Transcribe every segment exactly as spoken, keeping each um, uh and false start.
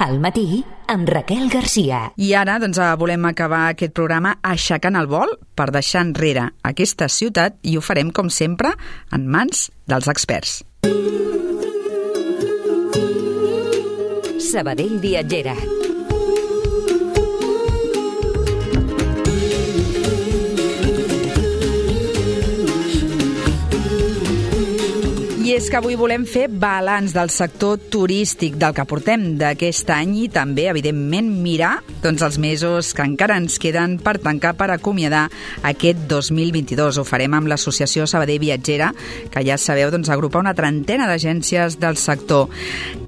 Al matí, amb Raquel Garcia. I ara doncs, volem acabar aquest programa aixecant el vol per deixar enrere aquesta ciutat i ho farem, com sempre, en mans dels experts. Sabadell Viatgera. I és que avui volem fer balanç del sector turístic del que portem d'aquest any i també, evidentment, mirar doncs, els mesos que encara ens queden per tancar, per acomiadar aquest dos mil vint-i-dos. Ho farem amb l'Associació Sabadell Viatgera, que ja sabeu, doncs, agrupa una trentena d'agències del sector.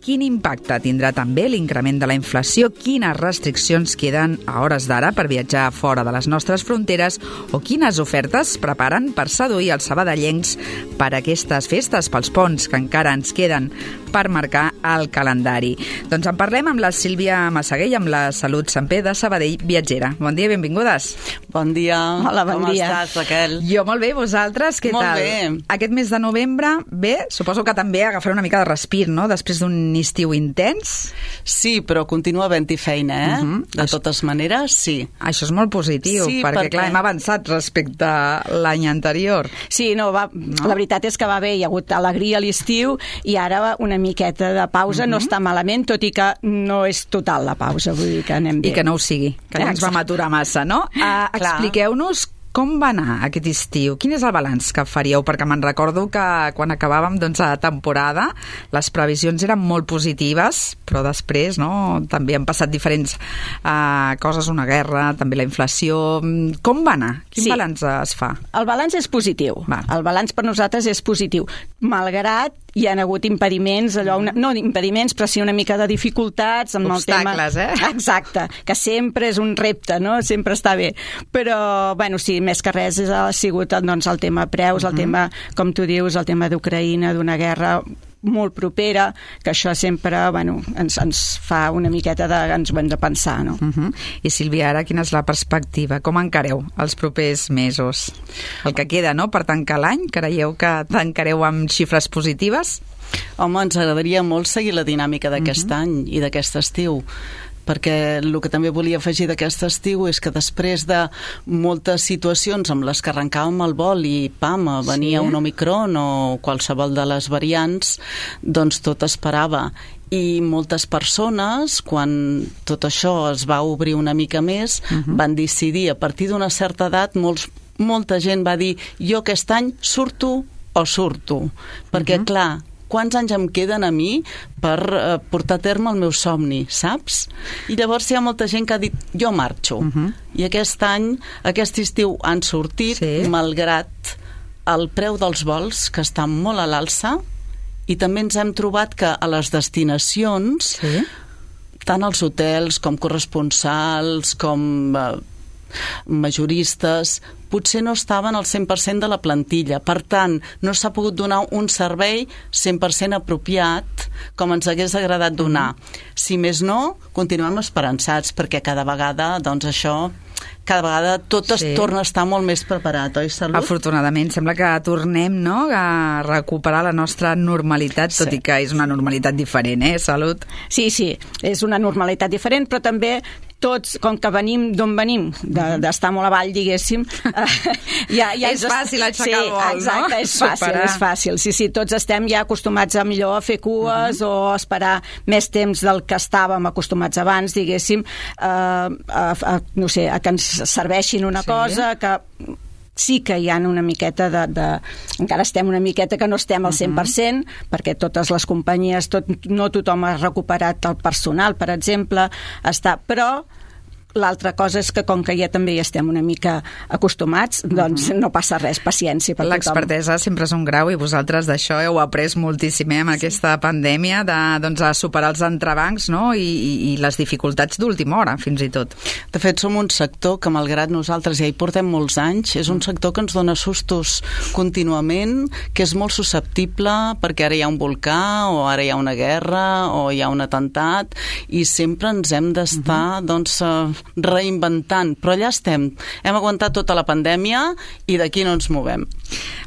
Quin impacte tindrà també l'increment de la inflació? Quines restriccions queden a hores d'ara per viatjar fora de les nostres fronteres? O quines ofertes preparen per seduir els sabadellencs per aquestes festes, pels ponts que encara ens queden per marcar el calendari? Doncs en parlem amb la Sílvia Massaguell, amb la Salut Samper de Sabadell Viatgera. Bon dia, benvingudes. Bon dia. Hola, bon Com dia. estàs, Raquel? Jo molt bé, vosaltres, què molt tal? Molt bé. Aquest mes de novembre, bé, suposo que també agafaré una mica de respir, no?, després d'un estiu intens. Sí, però continua havent-hi feina, eh? Uh-huh. De Això... totes maneres, sí. Això és molt positiu, sí, perquè, perquè, clar, hem avançat respecte a l'any anterior. Sí, no, va, no? La veritat és que va bé, hi ha hagut alegria a l'estiu i ara una miqueta de pausa uh-huh. no està malament, tot i que no és total la pausa, vull dir que anem bé. I que no ho sigui, que ja ens vam aturar massa, no? Uh, expliqueu-nos com va anar aquest estiu? Quin és el balanç que faríeu? Perquè me'n recordo que quan acabàvem doncs, la temporada les previsions eren molt positives, però després no, també han passat diferents uh, coses, una guerra, també la inflació. Com va anar? Quin sí. balanç es fa? El balanç és positiu. Va. El balanç per nosaltres és positiu. Malgrat hi ha hagut impediments, allò, una, no impediments, però sí una mica de dificultats amb obstacles, el tema. eh? Exacte, que sempre és un repte, no? Sempre està bé. Però, bueno, sí, més que res ha sigut doncs, el tema preus, el uh-huh. tema, com tu dius, el tema d'Ucraïna, d'una guerra molt propera, que això sempre bueno, ens, ens fa una miqueta de... ens ho hem de pensar, no? Uh-huh. I Sílvia, ara quina és la perspectiva? Com encareu els propers mesos? El que queda, no?, per tancar l'any, creieu que tancareu amb xifres positives? Home, ens agradaria molt seguir la dinàmica d'aquest uh-huh. any i d'aquest estiu, perquè el que també volia afegir d'aquest estiu és que després de moltes situacions amb les que arrencàvem el vol i pam, venia sí. un Omicron o qualsevol de les variants, doncs tot esperava. I moltes persones, quan tot això es va obrir una mica més, uh-huh. van decidir, a partir d'una certa edat, molts, molta gent va dir jo aquest any surto o surto, perquè uh-huh. clar, quants anys em queden a mi per uh, portar a terme el meu somni, saps? I llavors hi ha molta gent que ha dit jo marxo. Uh-huh. I aquest any, aquest estiu han sortit, sí. malgrat el preu dels vols, que està molt a l'alça, i també ens hem trobat que a les destinacions, sí. tant els hotels com corresponsals, com uh, majoristes, potser no estaven al cent per cent de la plantilla. Per tant, no s'ha pogut donar un servei cent per cent apropiat com ens hagués agradat donar. Si més no, continuem esperançats, perquè cada vegada, doncs això... cada vegada tot es sí. torna a estar molt més preparat, oi, Salut? Afortunadament, sembla que tornem no, a recuperar la nostra normalitat, tot sí. i que és una normalitat diferent, eh, Salut? Sí, sí, és una normalitat diferent, però també tots, com que venim d'on venim, d'estar de, molt avall, diguéssim... Eh, ja, ja és fàcil aixecar sí, el vol, exacte, no? és fàcil, Superar. és fàcil. Sí, sí, tots estem ja acostumats a millor a fer cues uh-huh. o a esperar més temps del que estàvem acostumats abans, diguéssim, eh, a, a, no sé, a que ens serveixin una sí. cosa que... sí que hi ha una miqueta de, de... encara estem una miqueta que no estem al cent per cent, uh-huh. perquè totes les companyies, tot, no tothom ha recuperat el personal, per exemple, està... però l'altra cosa és que com que ja també hi estem una mica acostumats, doncs uh-huh. no passa res, paciència per tothom. L'expertesa sempre és un grau i vosaltres d'això heu après moltíssim eh, amb sí. aquesta pandèmia de doncs, a superar els entrebancs no? I, i, i les dificultats d'última hora, fins i tot. De fet, som un sector que, malgrat nosaltres ja hi portem molts anys, és un sector que ens dona sustos contínuament, que és molt susceptible perquè ara hi ha un volcà o ara hi ha una guerra o hi ha un atemptat i sempre ens hem d'estar uh-huh. doncs, reinventant, però allà estem. Hem aguantat tota la pandèmia i d'aquí no ens movem.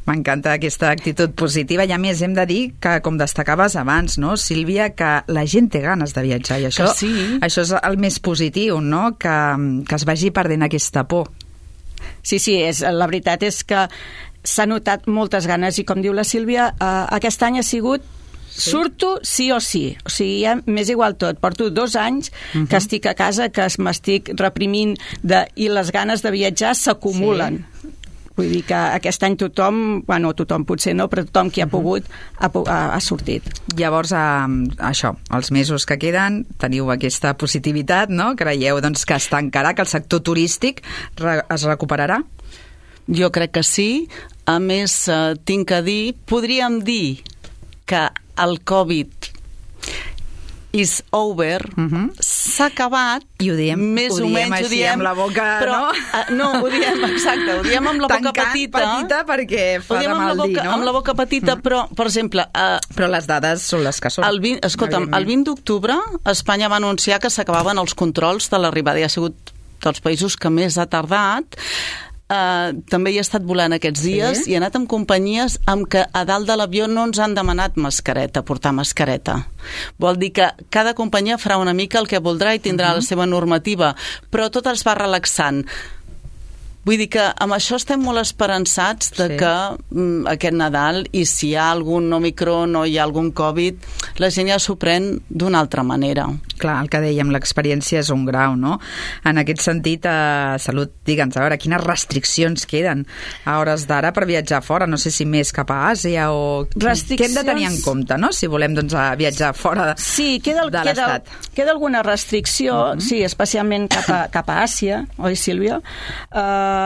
M'encanta aquesta actitud positiva i a més hem de dir que, com destacaves abans, no, Sílvia, que la gent té ganes de viatjar i això, sí. això és el més positiu, no? que, que es vagi perdent aquesta por. Sí, sí, és, la veritat és que s'ha notat moltes ganes i com diu la Sílvia, eh, aquest any ha sigut sí. surto sí o sí, o sigui, ja m'és igual tot, porto dos anys uh-huh. que estic a casa, que m'estic reprimint de, i les ganes de viatjar s'acumulen. Sí. Vull dir que aquest any tothom, bueno, tothom potser no, però tothom qui ha pogut ha, ha, ha sortit. Llavors, eh, això, els mesos que queden, teniu aquesta positivitat, no? Creieu doncs, que es tancarà, que el sector turístic re es recuperarà? Jo crec que sí. A més, eh, tinc que dir, podríem dir que el Covid is over, uh-huh. s'ha acabat, i ho diem, més ho o diem menys així, ho diem, amb la boca, però, no? Uh, no, ho diem, exacte, ho diem amb la Tancant boca petita. petita perquè fa de mal dir, no? Amb la boca petita, uh-huh. però, per exemple... Uh, però les dades són les que són. El vint, escolta'm, el vint d'octubre Espanya va anunciar que s'acabaven els controls de l'arribada, i ha sigut dels països que més ha tardat. Uh, també hi he estat volant aquests dies sí? i he anat amb companyies amb què a dalt de l'avió no ens han demanat mascareta, portar mascareta. Vol dir que cada companyia farà una mica el que voldrà i tindrà uh-huh. la seva normativa, però tot es va relaxant. Vull dir que amb això estem molt esperançats de sí. que mm, aquest Nadal, i si hi ha algun Omicron o hi ha algun Covid, la gent ja s'ho pren d'una altra manera. Clar, el que dèiem, l'experiència és un grau, no? En aquest sentit, eh, Salut, digue'ns, a veure, quines restriccions queden a hores d'ara per viatjar fora? No sé si més cap a Àsia o... Restriccions... Què hem de tenir en compte, no?, si volem doncs, viatjar fora de, sí, queda, de l'Estat. Queda, queda alguna restricció, uh-huh. sí, especialment cap a, cap a Àsia, oi, Sílvia? Uh,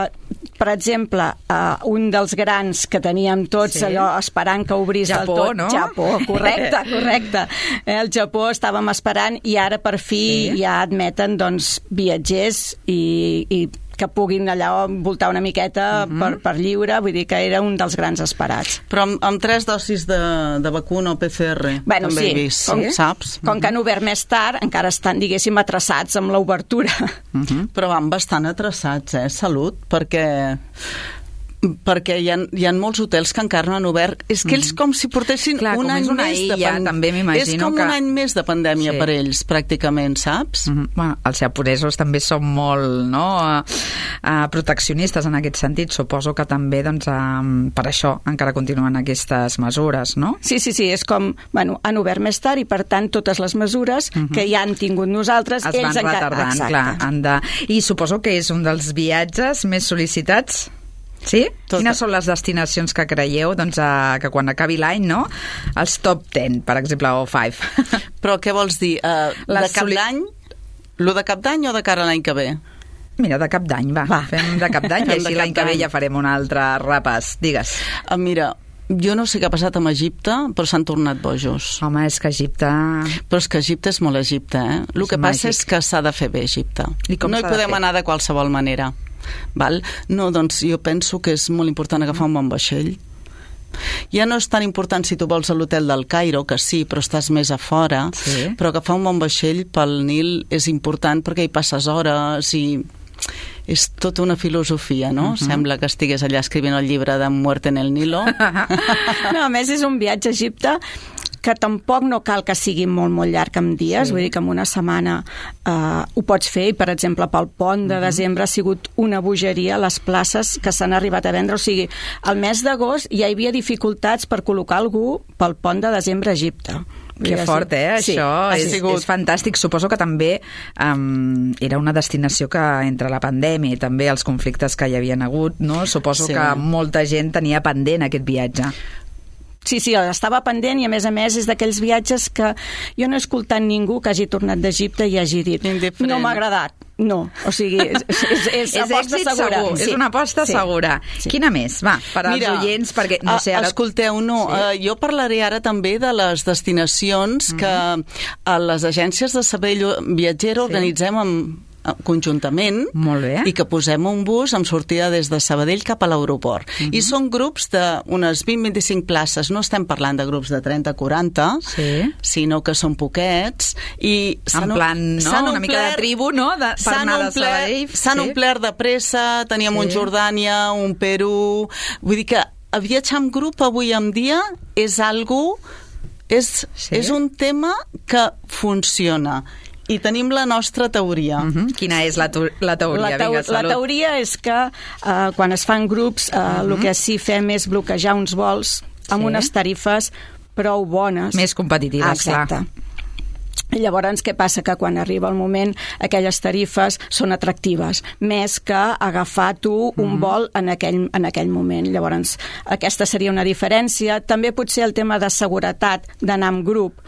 per exemple, uh, un dels grans que teníem tots sí. allò esperant que obrís Japó, del tot. No? Japó, correcte, correcte. Eh, el Japó estàvem esperant i ara per fi sí. ja admeten doncs, viatgers i, i que puguin allà voltar una miqueta uh-huh. per, per lliure, vull dir que era un dels grans esperats. Però amb, amb tres dosis de, de vacuna o P C R, bueno, també sí. he vist, com, saps? Com que han obert més tard, encara estan, diguéssim, atraçats amb l'obertura. Uh-huh. Però van bastant atraçats, eh, Salut, perquè... perquè hi ha, hi ha molts hotels que encara no han obert. És que ells com si portessin Clar, un any més illa, de pandèmia. també m'imagino És com que... un any més de pandèmia sí. per ells, pràcticament, saps? Mm-hmm. Bueno, els japonesos també són molt no, uh, uh, proteccionistes en aquest sentit. Suposo que també doncs, uh, per això encara continuen aquestes mesures, no? Sí, sí, sí, és com, bueno, han obert més tard i per tant totes les mesures mm-hmm. que ja han tingut nosaltres, es ells van encara... retardant, Exacte. clar. Han de... I suposo que és un dels viatges més sol·licitats. Sí? Tot. Quines són les destinacions que creieu doncs, a, que quan acabi l'any, no? Els top ten, per exemple, o five. Però què vols dir? Uh, de cap soli... d'any? Lo de cap d'any o de cara a l'any que ve? Mira, de cap d'any, va. va. Fem de cap d'any i així l'any que ve ja farem un altre repàs. Digues. Uh, mira, jo no sé què ha passat amb Egipte, però s'han tornat bojos. Home, és que Egipte... Però és que Egipte és molt Egipte, eh? El que passa és que s'ha de fer bé, Egipte. No hi podem anar de qualsevol manera. Val? No, doncs jo penso que és molt important agafar un bon vaixell. Ja no és tan important si tu vols a l'hotel del Cairo, que sí, però estàs més a fora, sí. Però agafar un bon vaixell pel Nil és important perquè hi passes hores i és tota una filosofia, no? Uh-huh. Sembla que estigués allà escrivint el llibre de Muerte en el Nilo. No, a més és un viatge a Egipte que tampoc no cal que sigui molt, molt llarg en dies, sí. Vull dir que en una setmana eh, ho pots fer, i per exemple pel pont de uh-huh. desembre ha sigut una bogeria les places que s'han arribat a vendre, o sigui, al mes d'agost ja hi havia dificultats per col·locar algú pel pont de desembre a Egipte. Que fort, eh? Sí, això és, és fantàstic. Suposo que també um, era una destinació que entre la pandèmia i també els conflictes que hi havien hagut, no? Suposo sí. que molta gent tenia pendent aquest viatge. Sí, sí, estava pendent i a més a més és d'aquells viatges que jo no he escoltat ningú que hagi tornat d'Egipte i hagi dit Indiferent. No m'ha agradat. No, o sigui, és, és, és, és aposta segura. Segur. Sí. És una aposta sí. segura. Sí. Quina més? Va, per als Mira, oients, perquè no sé ara... Escolteu, no, sí. uh, jo parlaré ara també de les destinacions mm-hmm. que a les agències de servei viatger sí. organitzem amb conjuntament. Molt bé. I que posem un bus amb sortida des de Sabadell cap a l'aeroport. Uh-huh. I són grups d'unes vint a vint-i-cinc places. No estem parlant de grups de trenta a quaranta, sí. sinó que són poquets. I en plan, no? Una mica de tribu, no? De, per anar a Sabadell. S'han sí. omplert de pressa, teníem sí. un Jordània, un Perú... Vull dir que viatjar en grup avui en dia és algo... És, sí. és un tema que funciona. I tenim la nostra teoria. Uh-huh. Quina és la, la teoria? La, teo Vinga, la teoria és que uh, quan es fan grups uh, uh-huh. el que sí fem és bloquejar uns vols amb sí. unes tarifes prou bones. Més competitives, exacte. Clar. Llavors, què passa? Que quan arriba el moment aquelles tarifes són atractives, més que agafar tu un mm-hmm. vol en aquell, en aquell moment. Llavors, aquesta seria una diferència. També potser el tema de seguretat d'anar amb grup,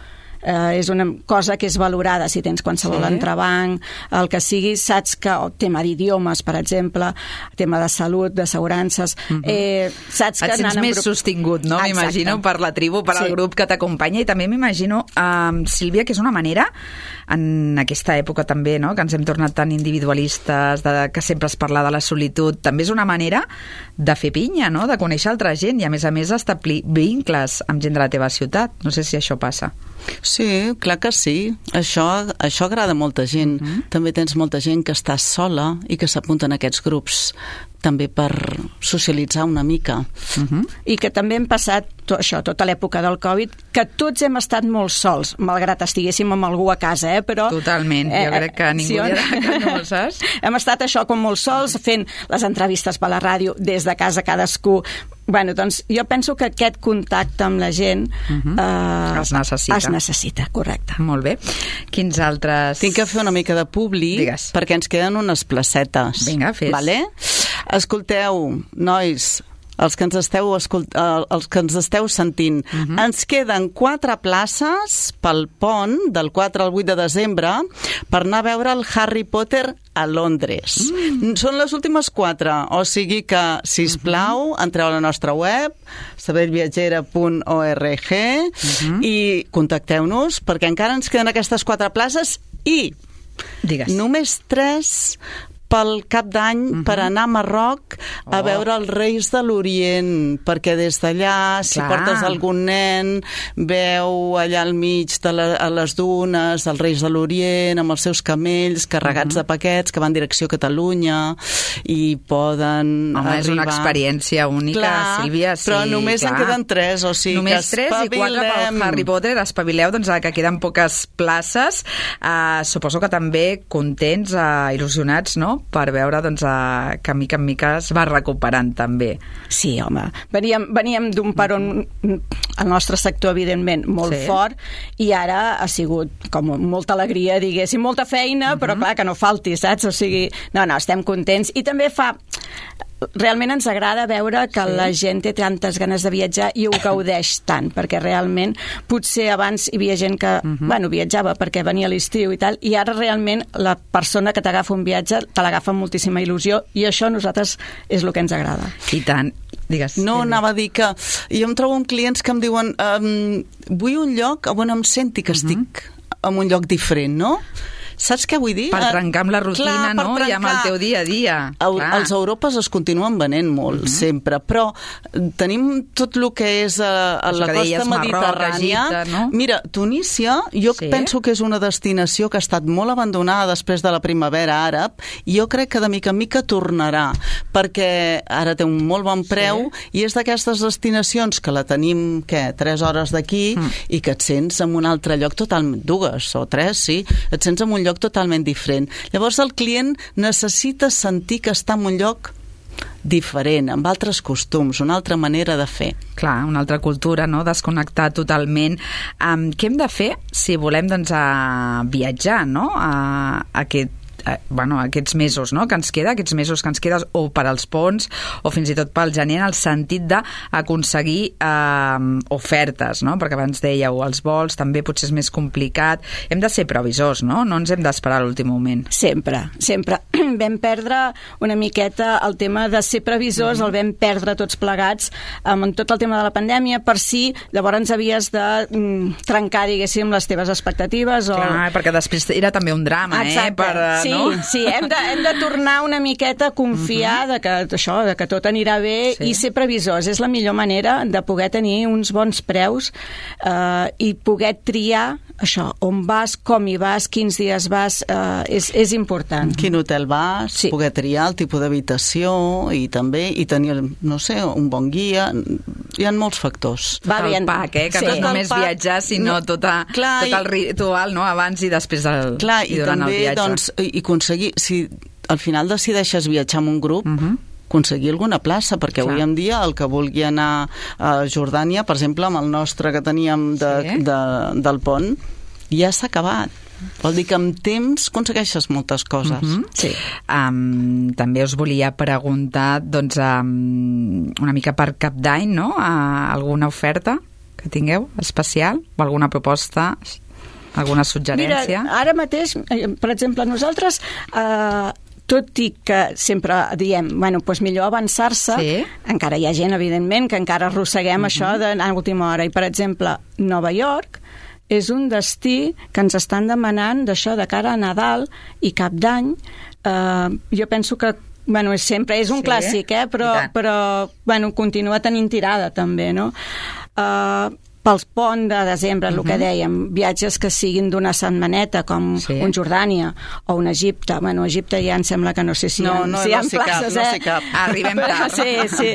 eh, és una cosa que és valorada si tens qualsevol sí. entrebanc, el que sigui, saps que el tema d'idiomes, per exemple, tema de salut, d'assegurances, mm-hmm. eh, saps que... Et sents més grup... sostingut, no? M'imagino, per la tribu, per sí. al grup que t'acompanya, i també m'imagino, um, Sílvia, que és una manera, en aquesta època també, no?, que ens hem tornat tan individualistes, de, que sempre es parla de la solitud, també és una manera de fer pinya, no?, de conèixer altra gent i, a més a més, establir vincles amb gent de la teva ciutat. No sé si això passa. Sí, clar que sí. Això, això agrada a molta gent. Uh-huh. També tens molta gent que està sola i que s'apunta en aquests grups també per socialitzar una mica. Uh-huh. I que també hem passat tot això, tota l'època del Covid, que tots hem estat molt sols, malgrat estiguéssim amb algú a casa, eh? Però... Totalment, jo eh, crec que ningú sí, dirà que no ho saps. Hem estat això com molt sols, fent les entrevistes per la ràdio, des de casa cadascú. Bueno, doncs jo penso que aquest contacte amb la gent uh-huh. eh, es necessita. Es necessita, correcte. Molt bé. Quins altres... Tinc que fer una mica de publi, Digues. perquè ens queden unes placetes. Vinga, fes. Vale? Escolteu, nois, els que ens esteu, escolt... els que ens esteu sentint, uh-huh. ens queden quatre places pel pont del quatre al vuit de desembre per anar a veure el Harry Potter a Londres. Mm. Són les últimes quatre, o sigui que, sisplau, uh-huh. entreu a la nostra web, sabadell viatgera punt org, uh-huh. i contacteu-nos, perquè encara ens queden aquestes quatre places i Digues. només tres pel cap d'any uh-huh. per anar a Marroc a oh. veure els Reis de l'Orient, perquè des d'allà, si Clar. portes algun nen, veu allà al mig de la, a les dunes els Reis de l'Orient amb els seus camells carregats uh-huh. de paquets que van en direcció a Catalunya i poden Home, arribar... és una experiència única, clar, Sílvia. Sí, però només clar. en queden tres, o sigui només que tres i quatre pel Harry Potter. Espavileu, doncs, que queden poques places. Uh, suposo que també contents, uh, il·lusionats, no?, per veure, doncs, uh, que mica en mica es va recuperant també. Sí, home, veníem, veníem d'un peron, el nostre sector, evidentment, molt sí. fort, i ara ha sigut com molta alegria, diguéssim, molta feina, uh-huh. però clar, que no falti, saps? O sigui, no, no, estem contents, i també fa... Realment ens agrada veure que sí. la gent té tantes ganes de viatjar i ho gaudeix tant, perquè realment potser abans hi havia gent que uh-huh. bueno, viatjava perquè venia a l'estiu i tal, i ara realment la persona que t'agafa un viatge te l'agafa amb moltíssima il·lusió, i això a nosaltres és el que ens agrada. I tant. Digues. No, anava a dir que jo em trobo amb clients que em diuen um, vull un lloc on em senti que estic uh-huh. en un lloc diferent, no? Saps què vull dir? Per trencar amb la rutina, clar, no? Trencar. I amb el teu dia a dia. El, els Europes es continuen venent molt, uh-huh. sempre, però tenim tot el que és a, a la costa mediterrània. Egipte, no? Mira, Tunísia, jo sí? penso que és una destinació que ha estat molt abandonada després de la primavera àrab, i jo crec que de mica en mica tornarà, perquè ara té un molt bon preu, sí? i és d'aquestes destinacions que la tenim, què, tres hores d'aquí, uh-huh. i que et sents en un altre lloc totalment, dues o tres, sí, et sents en un lloc totalment diferent. Llavors el client necessita sentir que està en un lloc diferent, amb altres costums, una altra manera de fer. Clar, una altra cultura, no?, desconnectar totalment. Um, què hem de fer si volem, doncs, a viatjar, no?, a, a aquest bueno, aquests mesos, no?, que ens queda, aquests mesos que ens queden, o per als ponts, o fins i tot pel gener, en el sentit d'aconseguir eh, ofertes, no?, perquè abans dèieu, els vols també potser és més complicat. Hem de ser previsors, no?, no ens hem d'esperar a l'últim moment. Sempre, sempre. Vam perdre una miqueta el tema de ser previsors, mm-hmm. el vam perdre tots plegats amb tot el tema de la pandèmia, per si llavors havies de mm, trencar, diguéssim, les teves expectatives. O... Clar, perquè després era també un drama, Exacte. eh? Per, sí, no? Sí, hem de, hem de tornar una miqueta a confiar uh -huh. de, que, això, de que tot anirà bé sí. i ser previsors. És la millor manera de poder tenir uns bons preus eh, i poder triar això, on vas, com hi vas, quins dies vas, eh, és, és important. Quin hotel vas, sí. poder triar el tipus d'habitació i també i tenir, no sé, un bon guia. Hi ha molts factors. Va bé, el pack, eh? Que sí. no és només viatjar, sinó tot, a, clar, tot el ritual, no? Abans i després del, clar, i durant i també, el viatge. Doncs, i aconseguir, si al final decideixes viatjar amb un grup, uh -huh. aconseguir alguna plaça, perquè clar. Avui en dia el que vulgui anar a Jordània, per exemple, amb el nostre que teníem de, sí. de, del pont, ja s'ha acabat. Vol dir que amb temps aconsegueixes moltes coses. Uh -huh. Sí. Um, també us volia preguntar, doncs, um, una mica per Cap d'Any, no? Uh, alguna oferta que tingueu especial? O alguna proposta, alguna suggerència? Mira, ara mateix, per exemple, nosaltres... Uh, tot i que sempre diem, bueno, doncs millor avançar-se, sí. encara hi ha gent, evidentment, que encara arrosseguem uh-huh. això d'anar a última hora. I, per exemple, Nova York és un destí que ens estan demanant d'això de cara a Nadal i Cap d'Any. Eh, jo penso que bueno, sempre és un sí, clàssic, eh? però, però bueno, continua tenint tirada també, no? Eh, pels ponts de desembre, el uh-huh. que dèiem, viatges que siguin d'una setmaneta, com sí. un Jordània o un Egipte. Bueno, Egipte ja em sembla que no sé si no, hi ha, no, si hi ha no places, cap, eh? No sé cap. Arribem tard. Sí, sí.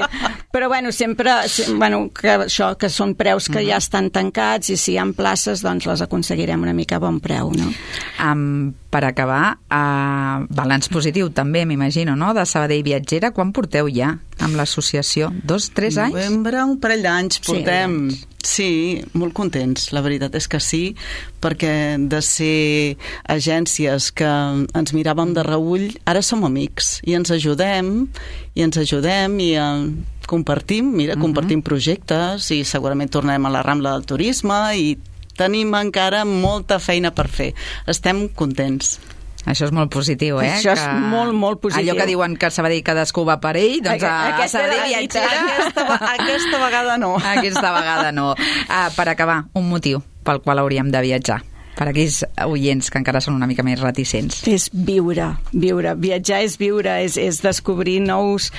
Però, bueno, sempre, bueno, que això, que són preus que uh-huh. ja estan tancats i si hi ha places, doncs les aconseguirem una mica a bon preu, no? Um, per acabar, uh, balanç positiu també, m'imagino, no?, de Sabadell Viatgera. Quan porteu ja amb l'associació? Dos, tres anys? Novembre, un parell d'anys portem. Sí, sí, molt contents, la veritat és que sí, perquè de ser agències que ens miràvem de reüll, ara som amics i ens ajudem, i ens ajudem i eh, compartim, mira, uh-huh. compartim projectes i segurament tornarem a la Rambla del Turisme i tenim encara molta feina per fer. Estem contents. Això és molt positiu, eh? Això és que... molt, molt positiu. Allò que diuen que a Sabadell cadascú va per ell, doncs a, a Sabadell Viatgera... Aquesta, aquesta vegada no. Aquesta vegada no. Ah, per acabar, un motiu pel qual hauríem de viatjar, per aquells oients que encara són una mica més reticents. És viure, viure. Viatjar és viure, és, és descobrir nous,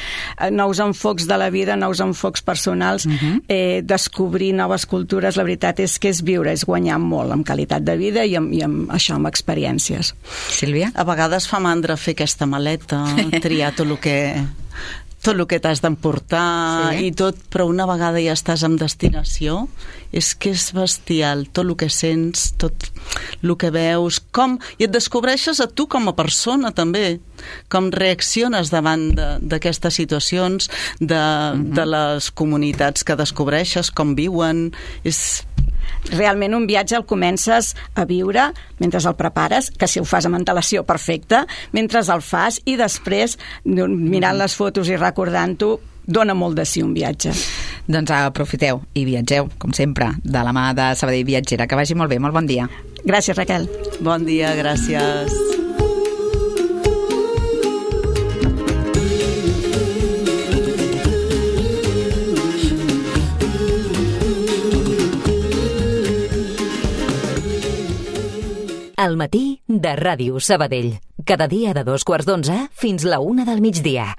nous enfocs de la vida, nous enfocs personals, uh-huh. eh, descobrir noves cultures. La veritat és que és viure, és guanyar molt amb qualitat de vida i amb, i amb això, amb experiències. Sílvia? A vegades fa mandra fer aquesta maleta, triar tot el que... tot el que t'has d'emportar sí. i tot, però una vegada ja estàs en destinació, és que és bestial, tot el que sents, tot el que veus, com, i et descobreixes a tu com a persona també, com reacciones davant d'aquestes situacions, de, uh-huh. de les comunitats que descobreixes, com viuen, és... Realment un viatge el comences a viure mentre el prepares, que si ho fas amb antelació perfecte, mentre el fas i després mirant les fotos i recordant-ho dona molt de sí un viatge. Doncs aprofiteu i viatgeu, com sempre, de la mà de Sabadell Viatgera. Que vagi molt bé, molt bon dia. Gràcies, Raquel. Bon dia, gràcies. Al matí de Ràdio Sabadell. Cada dia de dos quarts d'onze fins la una del migdia.